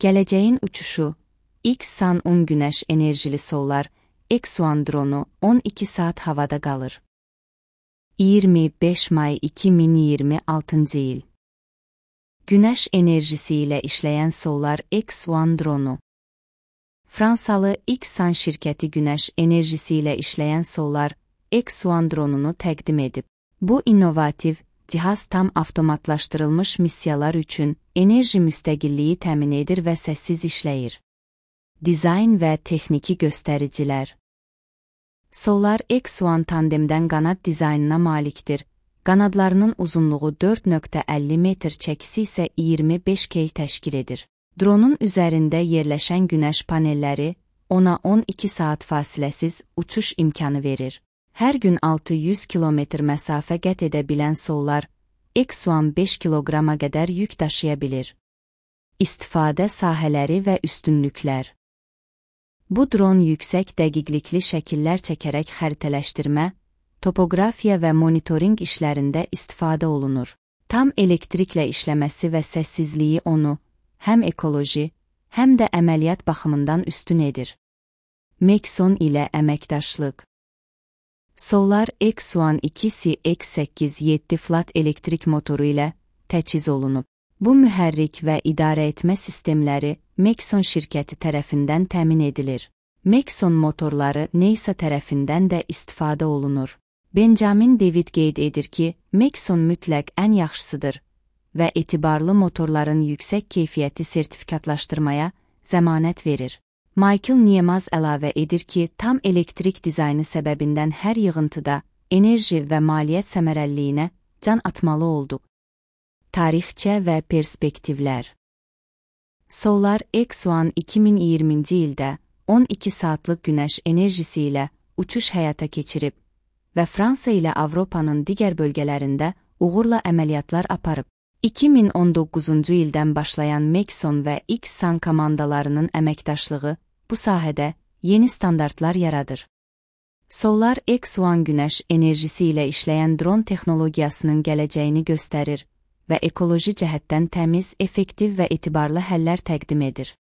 Gələcəyin uçuşu, X-Sun-10 günəş enerjili Solar X-One dronu 12 saat havada qalır. 25 may 2026 il. Günəş enerjisi ilə işləyən Solar X-One dronu. Fransalı X-Sun şirkəti günəş enerjisi ilə işləyən Solar X-One dronunu təqdim edib. Bu innovativ cihaz tam avtomatlaşdırılmış missiyalar üçün enerji müstəqilliyi təmin edir və səssiz işləyir. Dizayn və texniki göstəricilər. Solar X-One tandemdən qanad dizaynına malikdir. Qanadlarının uzunluğu 4,50 metr, çəkisi isə 25 key təşkil edir. Dronun üzərində yerləşən günəş panelləri ona 12 saat fasiləsiz uçuş imkanı verir. Hər gün 600 kilometr məsafə qət edə bilən Solar X-One 5 kiloqrama qədər yük daşıya bilir. İstifadə sahələri və üstünlüklər. Bu dron yüksək dəqiqlikli şəkillər çəkərək xəritələşdirmə, topoqrafiya və monitorinq işlərində istifadə olunur. Tam elektriklə işləməsi və səssizliyi onu həm ekoloji, həm də əməliyyat baxımından üstün edir. Maxon ilə əməkdaşlıq. Solar X-One 2 X8-7 flat elektrik motoru ilə təchiz olunub. Bu mühərrik və idarə etmə sistemləri Maxon şirkəti tərəfindən təmin edilir. Maxon motorları NASA tərəfindən də istifadə olunur. Benjamin David qeyd edir ki, Maxon mütləq ən yaxşısıdır və etibarlı motorların yüksək keyfiyyəti sertifikatlaşdırmaya zəmanət verir. Michael Niemaz əlavə edir ki, tam elektrik dizaynı səbəbindən hər yığıntıda enerji və maliyyət səmərəliliyinə can atmalı olduq. Tarixçə və perspektivlər. Solar X-One 2020-ci ildə 12 saatlıq günəş enerjisi ilə uçuş həyata keçirib və Fransa ilə Avropanın digər bölgələrində uğurla əməliyyatlar aparıb. 2019-cu ildən başlayan Maxon və X-Sun komandalarının əməkdaşlığı bu sahədə yeni standartlar yaradır. Solar X-One günəş enerjisi ilə işləyən dron texnologiyasının gələcəyini göstərir və ekoloji cəhətdən təmiz, effektiv və etibarlı həllər təqdim edir.